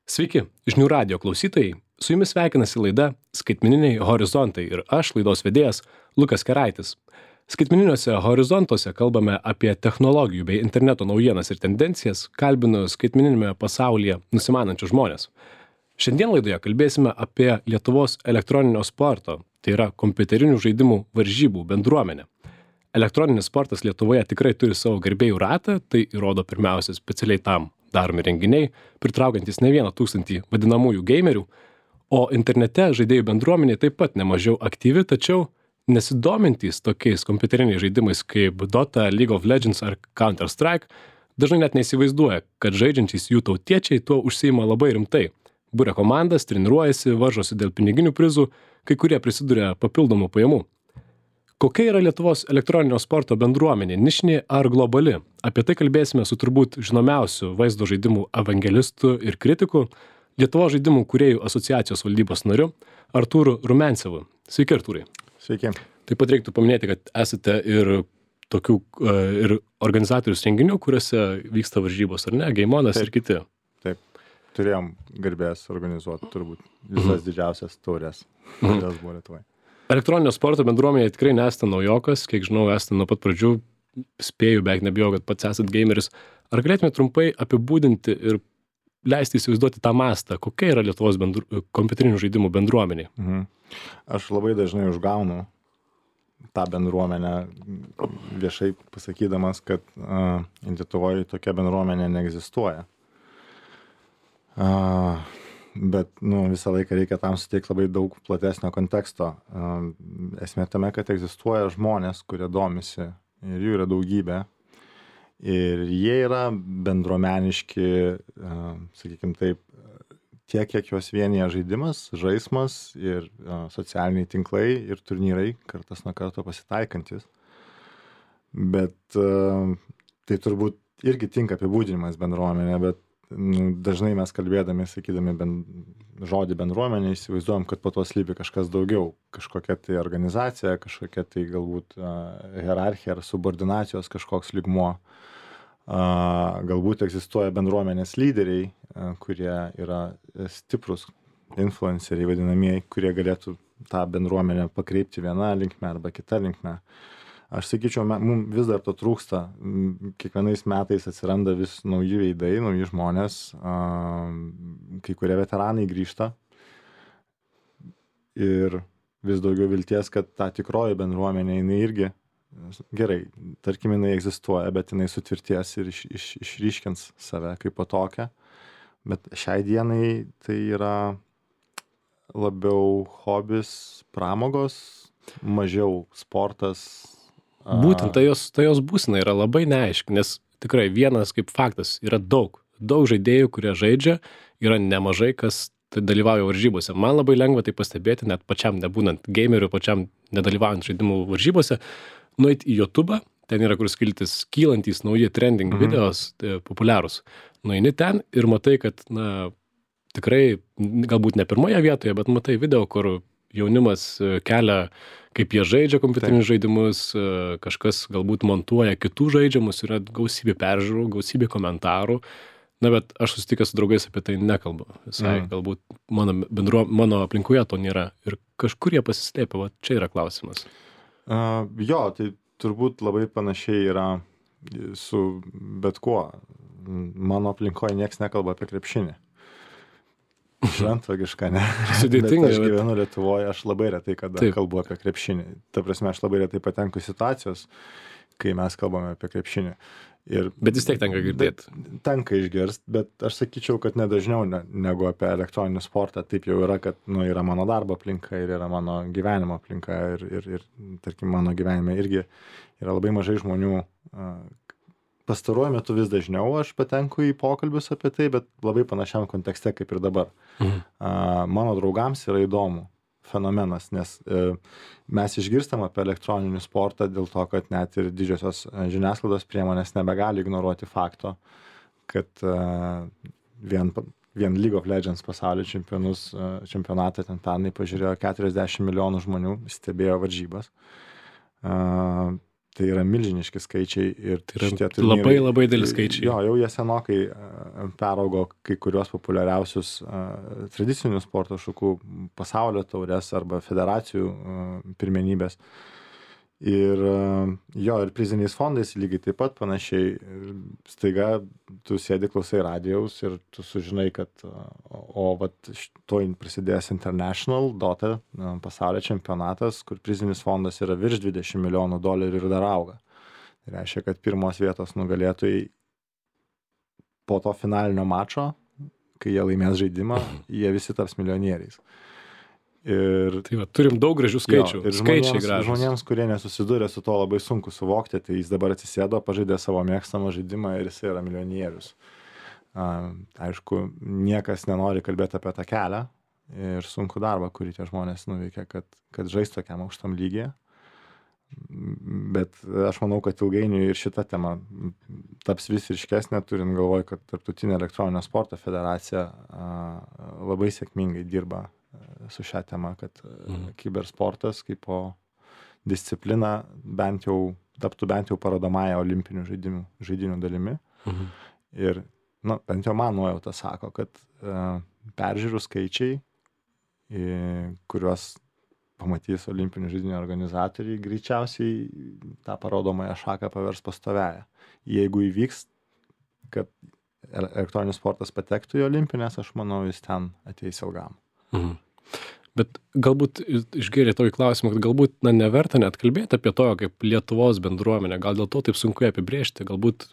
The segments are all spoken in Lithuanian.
Sveiki, žinių radijo klausytojai. Su jumis sveikinasi laida Skaitmeniniai horizontai ir aš, laidos vedėjas Lukas Keraitis. Skaitmeniniuose horizontuose kalbame apie technologijų bei interneto naujienas ir tendencijas, kalbinu skaitmeninėme pasaulyje nusimanančius žmonės. Šiandien laidoje kalbėsime apie Lietuvos elektroninio sporto, tai yra kompiuterinių žaidimų varžybų bendruomenę. Elektroninis sportas Lietuvoje tikrai turi savo gerbėjų ratą, tai įrodo pirmiausia specialiai tam daromi renginiai, pritraukiantys ne 1 000 vadinamųjų gamerių, o internete žaidėjų bendruomenė taip pat nemažiau aktyvi, tačiau nesidomintys tokiais kompiuteriniais žaidimais kaip Dota, League of Legends ar Counter-Strike, dažnai net neįsivaizduoja, kad žaidžiantys jų tautiečiai tuo užsiima labai rimtai. Buria komandas, treniruojasi, varžosi dėl piniginių prizų, kai kurie prisiduria papildomų pajamų. Kokia yra Lietuvos elektroninio sporto bendruomenė, nišinė ar globali? Apie tai kalbėsime su turbūt žinomiausiu vaizdo žaidimų evangelistu ir kritiku, Lietuvos žaidimų kūrėjų asociacijos valdybos nariu Artūru Rumencevu. Sveiki, Artūrai. Sveiki. Taip pat reiktų paminėti, kad esate ir tokių ir organizatorius renginių, kuriuose vyksta varžybos, ar ne? Gaimonas ir kiti. Taip, turėjom garbės organizuoti turbūt visas didžiausias taurės, kurios buvo Lietuvoje. Elektroninio sporto bendruomenėje tikrai nesate naujokas, kiek žinau, esate nuo pat pradžių, spėju, beveik nebijau, kad pats esate gameris. Ar galėtume trumpai apibūdinti ir leisti įsivaizduoti tą mastą, kokia yra Lietuvos kompiuterinių žaidimų bendruomenė? Aš labai dažnai užgaunu tą bendruomenę viešai pasakydamas, kad Lietuvoje tokia bendruomenė neegzistuoja. Bet visą laiką reikia tam suteikti labai daug platesnio konteksto. Esmė tame, kad egzistuoja žmonės, kurie domisi ir jų yra daugybė. Ir jie yra bendruomeniški, sakykime taip, tiek, kiek juos vienyje žaidimas, žaismas ir socialiniai tinklai ir turnyrai kartas nuo karto pasitaikantis. Bet tai turbūt irgi tinka apibūdinimas bendruomenė, bet dažnai mes kalbėdami, sakydami žodį bendruomenė, įsivaizduojam, kad po to slypi kažkas daugiau, kažkokia tai organizacija, kažkokia tai galbūt hierarchija ar subordinacijos kažkoks lygmuo. Galbūt egzistuoja bendruomenės lyderiai, kurie yra stiprus influenceriai vadinamieji, kurie galėtų tą bendruomenę pakreipti vieną linkme arba kitą linkme. Aš sakyčiau, mums vis dar to trūksta. Kiekvienais metais atsiranda vis nauji veidai, nauji žmonės, kai kurie veteranai grįžta ir vis daugiau vilties, kad ta tikroji bendruomenė, jinai irgi gerai, tarkim, jinai egzistuoja, bet jinai sutvirties ir išryškins save kaip po tokią. Bet šiai dienai tai yra labiau hobis, pramogos, mažiau sportas. Būtent ta jos būsena yra labai neaiški, nes tikrai vienas kaip faktas yra daug žaidėjų, kurie žaidžia, yra nemažai, kas dalyvauja varžybose. Man labai lengva tai pastebėti, net pačiam nebūnant gameriu, pačiam nedalyvaujant žaidimų varžybose, nueiti į YouTube, ten yra kur skiltis kylantys nauji trending videos, populiarūs. Nueini ten ir matai, kad tikrai galbūt ne pirmoje vietoje, bet matai video, kur jaunimas kelia, kaip jie žaidžia kompiuterinius žaidimus, kažkas galbūt montuoja kitų žaidžiamus, yra gausybė peržiūrų, gausybė komentarų. Bet aš susitikęs su draugais apie tai nekalbu. Visai galbūt mano aplinkoje to nėra. Ir kažkur jie pasislėpia, va čia yra klausimas. Jo, tai turbūt labai panašiai yra su bet kuo. Mano aplinkoje nieks nekalba apie krepšinį. Šventvagiška, ne? Sudėtinga. Bet aš gyvenu Lietuvoje, aš labai retai kada kalbu apie krepšinį. Ta prasme, aš labai retai patenku situacijos, kai mes kalbame apie krepšinį. Bet vis tiek tenka girdėti. Tenka išgirst, bet aš sakyčiau, kad nedažniau negu apie elektroninį sportą. Taip jau yra, kad yra mano darbo aplinka ir yra mano gyvenimo aplinka ir tarkim, mano gyvenime irgi yra labai mažai žmonių. Pastaruoju metu vis dažniau aš patenku į pokalbius apie tai, bet labai panašiam kontekste kaip ir dabar. Mano draugams yra įdomu fenomenas, nes mes išgirstam apie elektroninį sportą dėl to, kad net ir didžiosios žiniasklaidos priemonės nebegali ignoruoti fakto, kad vien League of Legends pasaulio čempionatą ten pernai pažiūrėjo 40 milijonų žmonių, stebėjo varžybas. tai yra milžiniški skaičiai ir Tai yra šitie turnyrai. labai dideli skaičiai. Jo, jau jie senokai peraugo kai kurios populiariausius tradicinių sporto šakų pasaulio taures arba federacijų pirmenybės. Ir jo, ir priziniais fondais lygiai taip pat panašiai. Staiga tu sėdi, klausai radijaus ir tu sužinai, kad vat tuoj prasidės International Dota pasaulio čempionatas, kur prizinis fondas yra virš $20 milijonų ir dar auga. Tai reiškia, kad pirmos vietos nugalėtojai po to finalinio mačo, kai jie laimės žaidimą, jie visi taps milijonieriais. Ir tai va, turim daug gražių skaičių. Ir skaičiai gražūs. Žmonėms, kurie nesusidūrė su to, labai sunku suvokti, tai jis dabar atsisėdo, pažaidė savo mėgstamą žaidimą ir jis yra milijonierius. Aišku, niekas nenori kalbėti apie tą kelią ir sunku darbą, kurį tie žmonės nuveikia, kad žaistų tokiam aukštam lygyje. Bet aš manau, kad ilgainiui ir šita tema taps vis ryškesnė, turint galvoj, kad Tarptautinė elektroninio sporto federacija labai sėkmingai dirba su šią temą, kad kibersportas kaip po disciplina taptų bent jau parodomąją olimpinių žaidynių dalimi. Ir bent jau man nuojauta sako, kad peržiūrų skaičiai, kuriuos pamatys olimpinių žaidynių organizatoriai, greičiausiai tą parodomąją šaką pavers pastoviąją. Jeigu įvyks, kad elektroninis sportas patektų į olimpinės, aš manau, jis ten ateis ilgam. Bet galbūt išgėrė tokį klausimą, kad galbūt neverta net kalbėti apie to, kaip Lietuvos bendruomenė, gal dėl to taip sunku apibrėžti, galbūt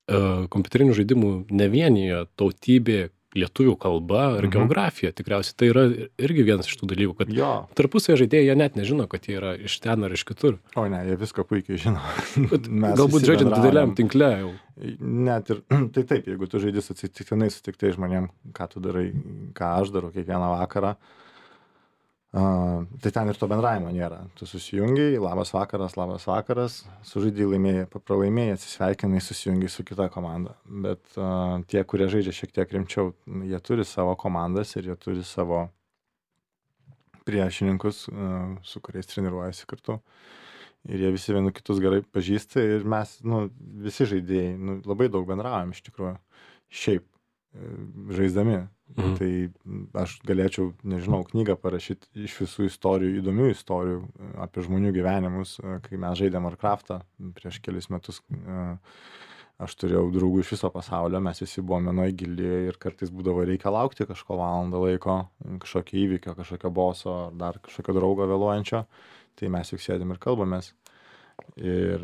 kompiuterinių žaidimų nevienija tautybė, lietuvių kalba ir geografija, tikriausiai tai yra irgi vienas iš tų dalykų, kad tarpusavio žaidėjai jie net nežino, kad jie yra iš ten ar iš kitur. O ne, jie viską puikiai žino. Galbūt žaidžiant dideliam tinkle jau. Net ir, tai taip, jeigu tu žaidži atsitiktinai sutiktai žmonėm, ką tu darai, ką aš darau kiekvieną vakarą, tai ten ir to bendravimo nėra. Tu susijungiai, labas vakaras, sužaidėjai, laimėjai, pralaimėjai, atsisveikinai, susijungiai su kita komanda. Bet tie, kurie žaidžia šiek tiek rimčiau, jie turi savo komandas ir jie turi savo priešininkus, su kuriais treniruojasi kartu. Ir jie visi vienu kitus gerai pažįsta ir mes, visi žaidėjai, labai daug bendraujam iš tikrųjų. Šiaip žaisdami. Tai aš galėčiau, nežinau, knygą parašyti iš visų istorijų, įdomių istorijų apie žmonių gyvenimus, kai mes žaidėm Warcraftą prieš kelis metus. Aš turėjau draugų iš viso pasaulio, mes visi buvome vienoje gildyje ir kartais būdavo reikia laukti kažko valandą laiko, kažkokio įvykio, kažkokio boso ar dar kažkokio draugo vėluojančio, tai mes juk sėdim ir kalbamės. Ir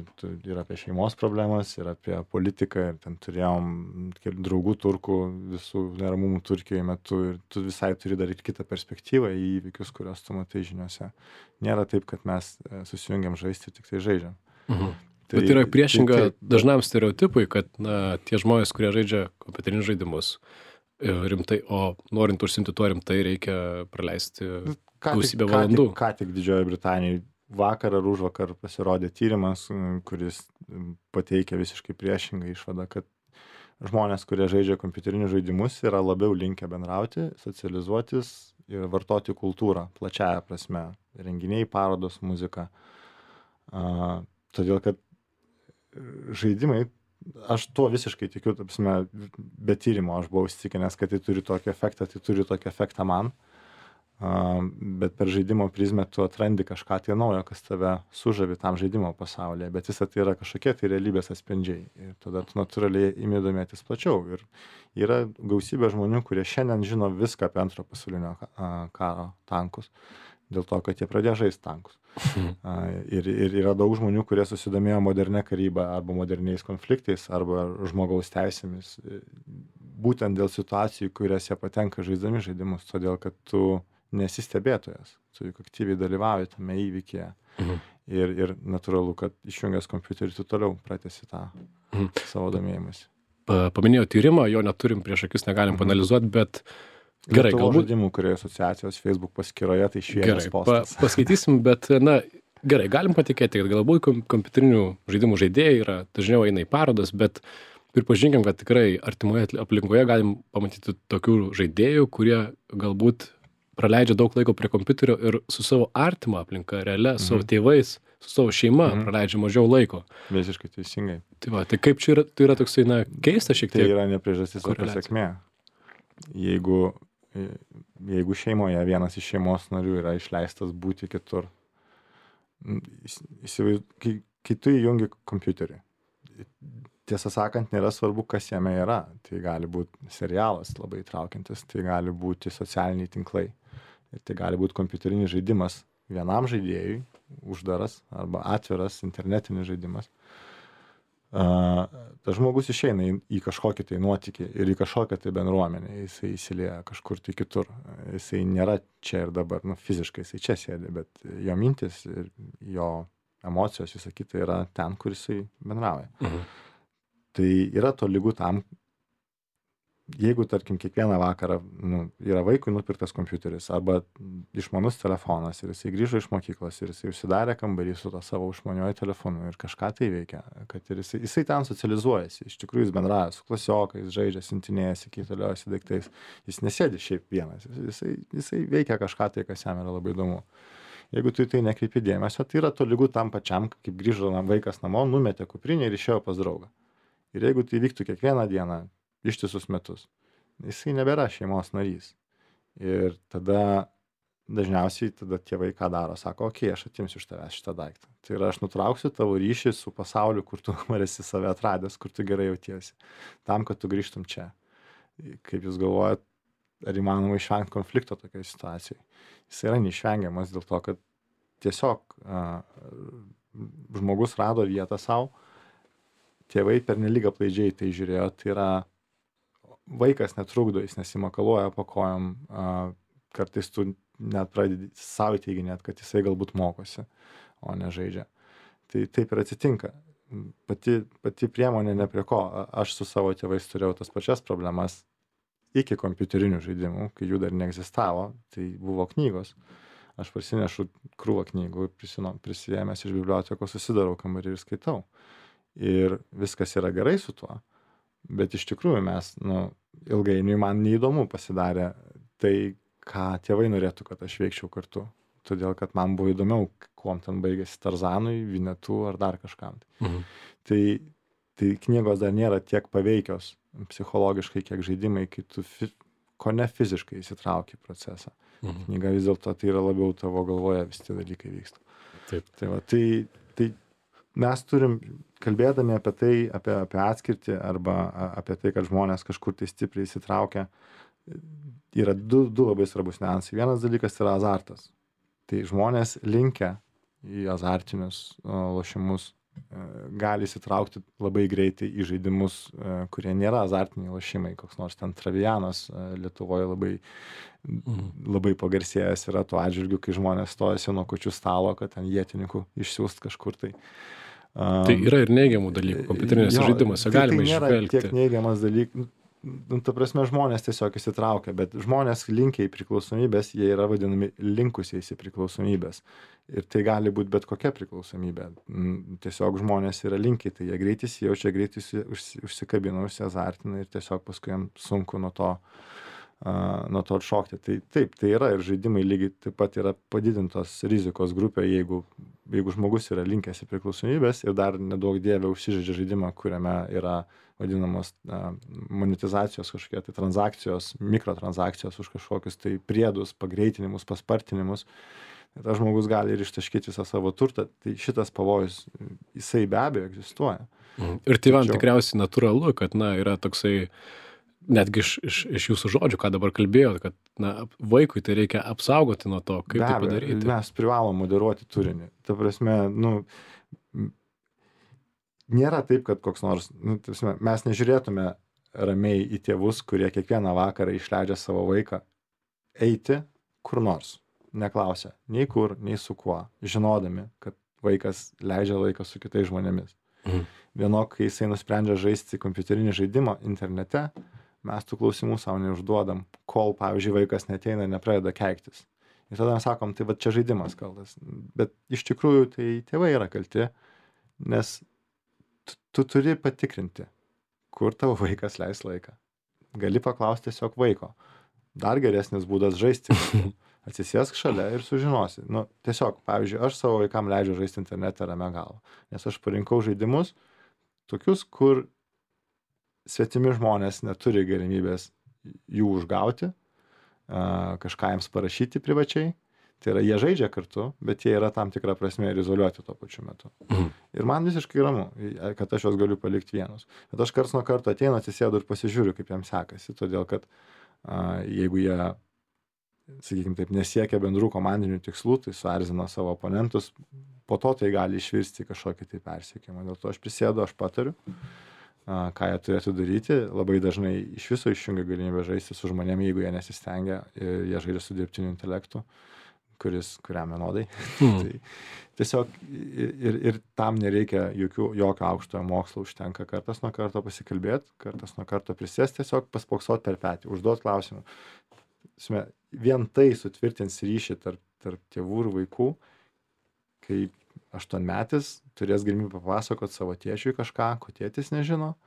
apie šeimos problemas, ir apie politiką, ir ten turėjom draugų turkų, visų neramumų Turkijoje metu, ir tu visai turi dar ir kitą perspektyvą į įvykius, kuriuos tu matai žiniuose. Nėra taip, kad mes susijungiam žaisti ir tik tai žaidžiam. Bet yra priešinga dažnam stereotipui, kad tie žmonės, kurie žaidžia kompiuterinius žaidimus rimtai, o norint užsiimti tuo rimtai, reikia praleisti gausybę valandų. Ką tik Didžiojoje Britanijoje vakar ar užvakar pasirodė tyrimas, kuris pateikia visiškai priešingą išvadą, kad žmonės, kurie žaidžia kompiuterinius žaidimus, yra labiau linkę bendrauti, socializuotis ir vartoti kultūrą, plačiaja prasme, renginiai, parodos, muzika. Todėl, kad žaidimai, aš tuo visiškai tikiu, be tyrimo aš buvau įsitikinęs, kad tai turi tokį efektą man. Bet per žaidimo prizmę tu atrandi kažką tai naujo, kas tave sužavi tam žaidimo pasaulyje, bet visa tai yra kažkokie tai realybės atspindžiai ir tada tu natūraliai imi domėtis plačiau. Ir yra gausybė žmonių, kurie šiandien žino viską apie Antrojo pasaulinio karo tankus, dėl to, kad jie pradėjo žaisti tankus. Ir yra daug žmonių, kurie susidomėjo modernė karyba arba moderniais konfliktais arba žmogaus teisėmis, būtent dėl situacijų, kurias jie patenka žaisdami žaidimus, todėl kad tu nesi stebėtojas, tu juk aktyviai dalyvauji tame įvykyje. Ir natūralu, kad išjungęs kompiuterį tu toliau pratęsi tą savo domėjimąsi. Paminėjau tyrimą, jo neturim prieš akis, negalim panalizuoti, bet gerai, galbūt žaidimų kūrėjų asociacijos Facebook paskyroje tai šviežias postas. Paskaitysim, bet gerai, galim patikėti, kad galbūt kompiuterinių žaidimų žaidėjai yra dažniau eina į parodas, bet pripažinkim, kad tikrai artimoje aplinkoje galim pamatyti tokių žaidėjų, kurie galbūt praleidžia daug laiko prie kompiuterio ir su savo artima aplinka, realia, su savo tėvais, su savo šeima praleidžia mažiau laiko. Visiškai teisingai. Tai kaip čia yra, tai yra toksai, keista šiek tiek. Tai yra ne priežastis, o pasekmė. Jeigu šeimoje vienas iš šeimos narių yra išleistas būti kitur, kai tu įjungi kompiuterį, tiesą sakant, nėra svarbu, kas jame yra. Tai gali būti serialas labai įtraukiantis, tai gali būti socialiniai tinklai, tai gali būti kompiuterinis žaidimas vienam žaidėjui, uždaras arba atviras internetinis žaidimas. Tas žmogus išeina į kažkokį tai nuotykį ir į kažkokią tai bendruomenę, jisai įsilieja kažkur tai kitur, jisai nėra čia ir dabar, fiziškai jisai čia sėdi, bet jo mintis ir jo emocijos, visą kitą yra ten, kur jisai bendrauja. Tai yra tolygu tam, jeigu, tarkim, kiekvieną vakarą yra vaikui nupirktas kompiuteris arba išmanus telefonas ir jisai grįžo iš mokyklos ir jisai užsidarė kambarį su to savo išmaniuoju telefonu ir kažką tai veikia, kad ir jisai ten socializuojasi, iš tikrųjų jis bendrauja su klasiokais, žaidžia, siuntinėjasi, keitaliojasi daiktais, jis nesėdi šiaip vienas, jisai veikia kažką tai, kas jam yra labai įdomu. Jeigu tu į tai nekreipi dėmesio, tai yra tolygu tam pačiam, kaip grįžo vaikas namo, numetė kuprinę ir išėjo pas draugą. Ir jeigu tai vyktų kiekvieną dieną, ištisus metus, jisai nebėra šeimos narys. Ir tada dažniausiai tėvai ką daro, sako, okei, aš atimsiu iš tavęs šitą daiktą. Tai yra, aš nutrauksiu tavo ryšį su pasauliu, kur tu esi save atradęs, kur tu gerai jautiesi, tam, kad tu grįžtum čia. Kaip jūs galvojat, ar įmanoma išvengti konflikto tokioje situacijoje? Jis yra neišvengiamas dėl to, kad tiesiog žmogus rado vietą savo, tėvai pernelyg aplaidžiai tai žiūrėjo, tai yra vaikas netrukdo, jis nesimakaluoja po kojom, kartais tu net pradedi savo teiginėt, kad jisai galbūt mokosi, o ne žaidžia. Tai taip ir atsitinka. Pati priemonė ne prie ko. Aš su savo tėvais turėjau tas pačias problemas iki kompiuterinių žaidimų, kai jų dar neegzistavo, tai buvo knygos. Aš parsinešu krūvą knygų, prisijėmęs iš bibliotekos, susidarau kambarį ir skaitau. Ir viskas yra gerai su tuo, bet iš tikrųjų mes, ilgainiui man neįdomu pasidarė tai, ką tėvai norėtų, kad aš veikčiau kartu. Todėl, kad man buvo įdomiau, kuom ten baigėsi Tarzanui, Vinetu ar dar kažkam. Tai knygos dar nėra tiek paveikios psichologiškai, kiek žaidimai, kai tu kone fiziškai įsitrauki į procesą. Knyga vis dėlto tai yra labiau tavo galvoje, visi tie dalykai vyksta. Taip. Tai mes turim, kalbėdami apie tai, apie atskirtį arba apie tai, kad žmonės kažkur tai stipriai įsitraukia, yra du labai svarbus niuansai. Vienas dalykas yra azartas. Tai žmonės linkę į azartinius lošimus gali įsitraukti labai greitai į žaidimus, kurie nėra azartiniai lošimai. Koks nors ten Travianas Lietuvoje labai pagarsėjęs yra tuo atžvilgiu, kai žmonės stojasi nuo kūčių stalo, kad ten ietininkų išsiųst kažkur tai. Tai yra ir neigiamų dalykų kompiuterinėse žaidimuose, galima išvelgti. Tai nėra tiek neigiamas dalykas. Ta prasme, žmonės tiesiog įsitraukia, bet žmonės linkę į priklausomybės, jie yra vadinami linkusiais į priklausomybės. Ir tai gali būti bet kokia priklausomybė. Tiesiog žmonės yra linkę, tai jie greitai įsijaučia, greitai užsikabina, užsiazartina ir tiesiog paskui jam sunku nuo to atšokti. Tai taip, tai yra ir žaidimai lygiai taip pat yra padidintos rizikos grupė, jeigu žmogus yra linkęs į priklausomybės ir dar nedaug dievė užsižaidžia žaidimą, kuriame yra vadinamos monetizacijos kažkokie tai transakcijos, mikrotransakcijos už kažkokius tai priedus, pagreitinimus, paspartinimus. Tas žmogus gali ir ištaškyti visą savo turtą. Tai šitas pavojus, jisai be abejo egzistuoja. Ir tėvam tikriausiai natūralu, kad yra toksai, netgi iš jūsų žodžių, ką dabar kalbėjot, kad vaikui tai reikia apsaugoti nuo to, kaip tai padaryti. Mes privalom moderuoti turinį. Ta prasme, nėra taip, kad koks nors, mes nežiūrėtume ramiai į tėvus, kurie kiekvieną vakarą išleidžia savo vaiką eiti kur nors, neklausia nei kur, nei su kuo, žinodami, kad vaikas leidžia laiką su kitais žmonėmis. Vienok, kai jisai nusprendžia žaisti kompiuterinį žaidimą internete, mes tų klausimų savo neužduodam, kol, pavyzdžiui, vaikas neteina ir nepradeda keiktis. Ir tada mes sakom, tai va čia žaidimas kaltas. Bet iš tikrųjų tai tėvai yra kalti, nes tu turi patikrinti, kur tavo vaikas leis laiką. Gali paklausti tiesiog vaiko. Dar geresnis būdas žaisti. Atsisėsk šalia ir sužinosi. Nu, tiesiog, pavyzdžiui, aš savo vaikam leidžiu žaisti internete ramia galva, nes aš parinkau žaidimus tokius, kur svetimi žmonės neturi galimybės jų užgauti, kažką jiems parašyti privačiai. Tai yra, jie žaidžia kartu, bet jie yra tam tikra prasme ir izoliuoti tuo pačiu metu. Ir man visiškai ramu, kad aš juos galiu palikti vienus. Bet aš karts nuo karto ateinu, atsisėdu ir pasižiūriu, kaip jiems sekasi, todėl kad jeigu jie, sakykime taip, nesiekia bendrų komandinių tikslų, tai suerzina savo oponentus, po to tai gali išvirsti kažkokį tai persiekimą. Dėl to aš prisėdu, aš patariu, ką jie turėtų daryti. Labai dažnai iš viso išjungia galimybę žaisti su žmonėmis, jeigu jie nesistengia ir jie žaidžia su dirbtiniu intelektu, kuriam vienodai. Tai tiesiog ir tam nereikia jokio aukštojo mokslo, užtenka kartas nuo karto pasikalbėti, kartas nuo karto prisėsti, tiesiog paspoksot per petį, užduot klausimų. Vien tai sutvirtins ryšį tarp tėvų ir vaikų, kai 8-metis turės galimybę papasakot savo tėčiui kažką, ko tėtis nežino,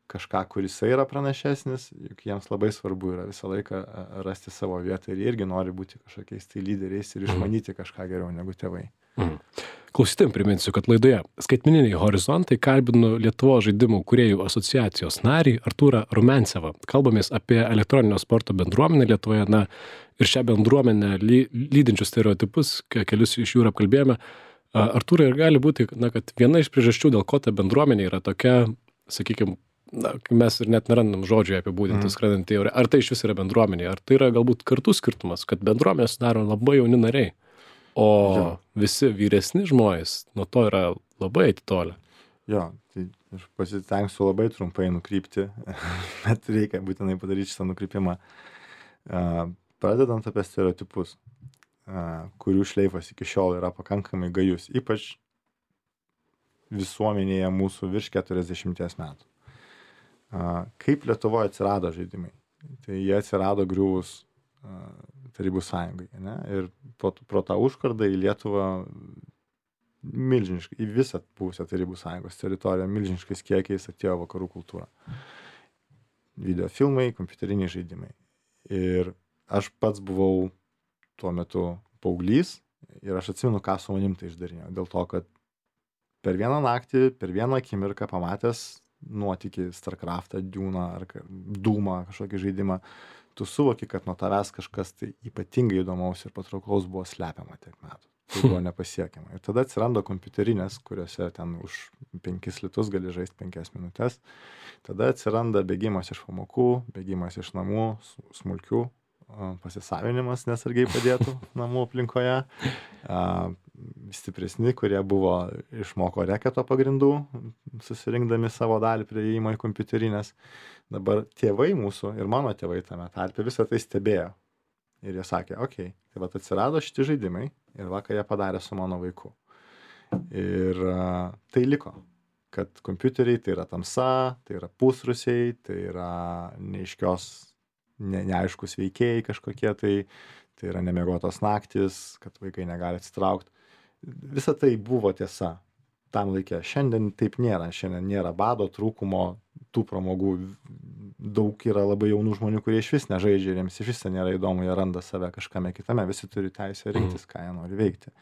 kažką, kuris yra pranašesnis, juk jiems labai svarbu yra visą laiką rasti savo vietą ir jie irgi nori būti kažkokiais tai lyderiais ir išmanyti kažką geriau negu tėvai. Klausytojams priminsiu, kad laidoje Skaitmeniniai horizontai kalbinu Lietuvos žaidimų kūrėjų asociacijos narį Artūrą Rumencevą. Kalbamės apie elektroninio sporto bendruomenę Lietuvoje, ir šią bendruomenę lydinčius stereotipus, kelius iš jų ir apkalbėjome. Artūrai, ir gali būti, kad viena iš priežasčių, dėl ko ta bendruomenė yra tokia, sakykime, mes ir net nerandam žodžių apibūdinti skrendantį ore. Ar tai iš vis yra bendruomenė, ar tai yra galbūt kartų skirtumas, kad bendruomenė sudaro labai jauni nariai, o visi vyresni žmonės nuo to yra labai atitolę. Jo, tai aš pasitengsiu labai trumpai nukrypti, bet reikia būtinai padaryti šitą nukrypimą. Pradedant apie stereotipus, kurių šleifas iki šiol yra pakankamai gajus, ypač visuomenėje mūsų virš 40 metų. Kaip Lietuvoje atsirado žaidimai? Tai jie atsirado griuvus Tarybų sąjungai, ne? Ir pro tą užkardą į Lietuvą milžiniškai, į visą buvusią Tarybų sąjungos teritoriją milžiniškais kiekiais atėjo vakarų kultūra. Videofilmai, kompiuteriniai žaidimai. Ir aš pats buvau tuo metu paauglys ir aš atsimenu, ką su manim tai išdarinėjo. Dėl to, kad per vieną naktį, per vieną akimirką pamatęs nuotykį Starcraftą, Dune'ą ar Doom'ą, kažkokį žaidimą, tu suvoki, kad nuo tavęs kažkas tai ypatingai įdomaus ir patrauklaus buvo slepiama tiek metų. Tai buvo nepasiekiama. Ir tada atsiranda kompiuterinės, kuriuose ten už 5 litus gali žaisti 5 minutės. Tada atsiranda bėgimas iš pamokų, bėgimas iš namų, smulkių, pasisavinimas nesargiai padėtų namų aplinkoje. Stipresni, kurie buvo išmoko reketo pagrindų, susirinkdami savo dalį prie įėjimo į kompiuterinės. Dabar tėvai mūsų ir mano tėvai tame tarpe visą tai stebėjo. Ir jie sakė, okei, tai vat atsirado šitie žaidimai ir ką jie padarė su mano vaiku. Ir tai liko, kad kompiuteriai tai yra tamsa, tai yra pusrusiai, tai yra neaiškios, neaiškus veikėjai kažkokie, tai yra nemiegotos naktis, kad vaikai negali atsitraukti. Visa tai buvo tiesa tam laikė. Šiandien taip nėra. Šiandien nėra bado, trūkumo, tų pramogų. Daug yra labai jaunų žmonių, kurie iš vis nežaidžia ir jiems iš vis nėra įdomu, jie randa save kažkame kitame. Visi turi teisę rinktis, ką jie nori veikti.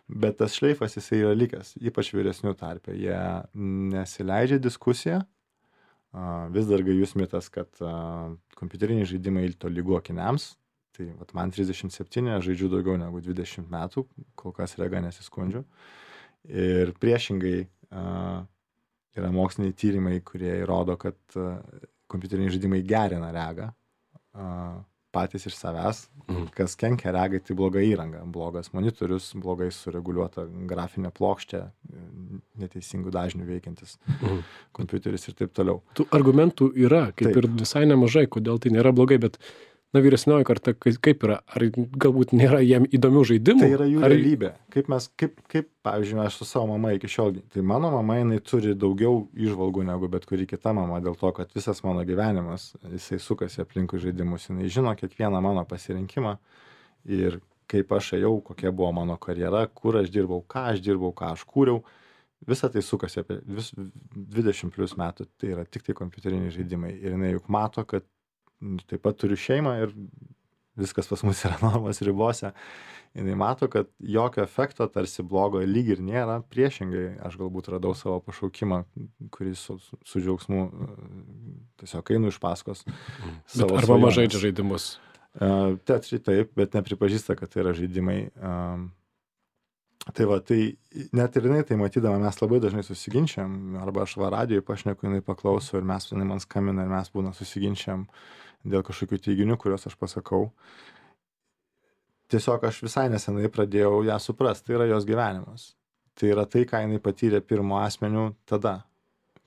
Bet tas šleifas jisai yra likęs, ypač vyresnių tarpe. Jie nesileidžia diskusiją. Vis dar gajus mitas, kad kompiuteriniai žaidimai tolygu akiniams. Tai vat, man 37, aš žaidžiu daugiau negu 20 metų, kol kas rega nesiskundžiu. Ir priešingai yra moksliniai tyrimai, kurie įrodo, kad kompiuteriniai žaidimai gerina regą patys iš savęs. Kas kenkia regai, tai bloga įranga, blogas monitorius, blogai sureguliuota grafinė plokštė, neteisingų dažnių veikiantis kompiuteris ir taip toliau. Tų argumentų yra, kaip ir visai nemažai, kodėl tai nėra blogai, bet vyresnioji karta kaip yra? Ar galbūt nėra jiem įdomių žaidimų? Tai yra jų realybė. Kaip pavyzdžiui, aš su savo mama iki šiol, tai mano mama, jinai turi daugiau įžvalgų negu bet kuri kita mama, dėl to, kad visas mano gyvenimas, jisai sukasi aplinkui žaidimus. Jinai žino kiekvieną mano pasirinkimą ir kaip aš ėjau, kokia buvo mano karjera, kur aš dirbau, ką aš kūriau. Visa tai sukasi apie 20 plus metų, tai yra tik tai kompiuteriniai žaidimai. Ir jinai juk mato, kad taip pat turiu šeimą ir viskas pas mus yra normos ribose, jinai mato, kad jokio efekto tarsi blogo lyg ir nėra, priešingai aš galbūt radau savo pašaukimą, kurį su džiaugsmu tiesiog einu iš paskos. Bet arba žaidžia žaidimus. Teatrai taip, bet nepripažįsta, kad tai yra žaidimai. Tai va, tai net ir jinai tai matydama, mes labai dažnai susiginčiam, arba aš radijoj pašneku, jinai paklauso ir jinai man skambina ir mes būna susiginčiam dėl kažkokių teiginių, kuriuos aš pasakau. Tiesiog aš visai nesenai pradėjau ją suprasti, tai yra jos gyvenimas. Tai yra tai, ką jinai patyrė pirmo asmeniu tada,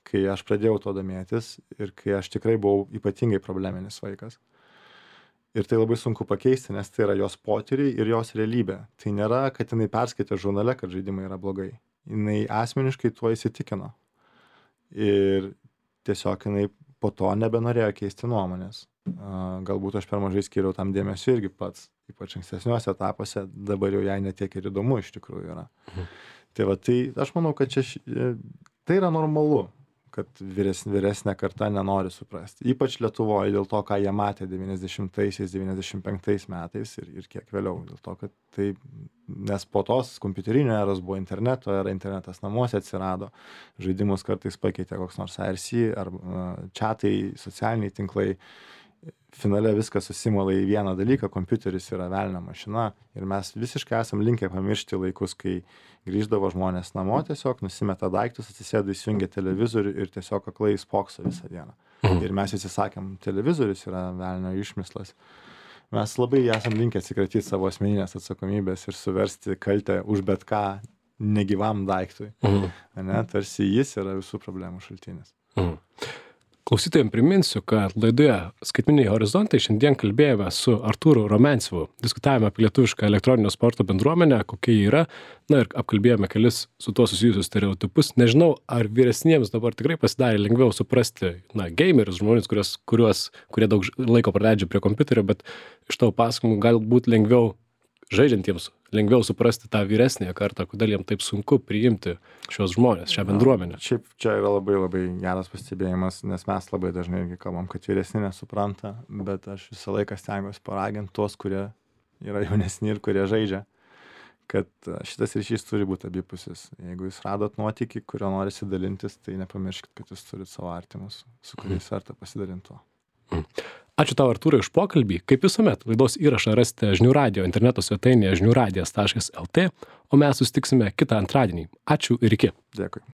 kai aš pradėjau to domėtis ir kai aš tikrai buvau ypatingai probleminis vaikas. Ir tai labai sunku pakeisti, nes tai yra jos potyriai ir jos realybė. Tai nėra, kad jinai perskaitė žurnale, kad žaidimai yra blogai. Jinai asmeniškai tuo įsitikino. Ir tiesiog jinai po to nebenorėjo keisti nuomonės. Galbūt aš per mažai skiriau tam dėmesio irgi pats, ypač ankstesniuose etapuose, dabar jau jai netiek ir įdomu iš tikrųjų yra. Tai va, tai aš manau, kad tai yra normalu, kad vyresnė karta nenori suprasti. Ypač Lietuvoje dėl to, ką jie matė 90-aisiais, 95 metais ir kiek vėliau. Dėl to, kad tai, nes po tos kompiuterinio eros buvo interneto era, internetas namuose atsirado, žaidimus kartais pakeitė koks nors IRC ar chatai, socialiniai tinklai. Finale viskas susimala į vieną dalyką, kompiuteris yra velnio mašina ir mes visiškai esam linkę pamiršti laikus, kai grįždavo žmonės namo, tiesiog nusimeta daiktus, atsisėda, įsijungia televizorių ir tiesiog aklai spokso visą dieną. Ir mes visi sakėm, televizorius yra velnio išmislas. Mes labai esam linkę atsikratyti savo asmeninės atsakomybės ir suversti kaltę už bet ką negyvam daiktui. Tarsi jis yra visų problemų šaltinis. Klausytojams priminsiu, kad laidoje Skaitmeniniai horizontai šiandien kalbėjome su Artūru Rumiancevu. Diskutavome apie lietuvišką elektroninio sporto bendruomenę, kokia ji yra, ir apkalbėjome kelis su tuo susijusius stereotipus. Nežinau, ar vyresniems dabar tikrai pasidarė lengviau suprasti, gamerius, žmonės, kurie daug laiko praleidžia prie kompiuterio, bet iš tavo pasakojimų galbūt lengviau žaidžiantiems, lengviau suprasti tą vyresnėje kartą, kodėl jiems taip sunku priimti šios žmonės, šią bendruomenę. Šiaip čia yra labai labai geras pastebėjimas, nes mes labai dažnai irgi kalbam, kad vyresni nesupranta, bet aš visą laiką stengiuosi paraginti tuos, kurie yra jaunesni ir kurie žaidžia, kad šitas ryšys turi būti abipusis. Jeigu jūs radot nuotykį, kurio norisi dalintis, tai nepamirškit, kad jūs turit savo artimus, su kuriais verta pasidalinti tuo. Ačiū tau, Artūrai, už pokalbį. Kaip visuomet, laidos įrašą rasite Žinių radijo interneto svetainėje žiniųradijas.lt, o mes susitiksime kitą antradienį. Ačiū ir iki. Dėkui.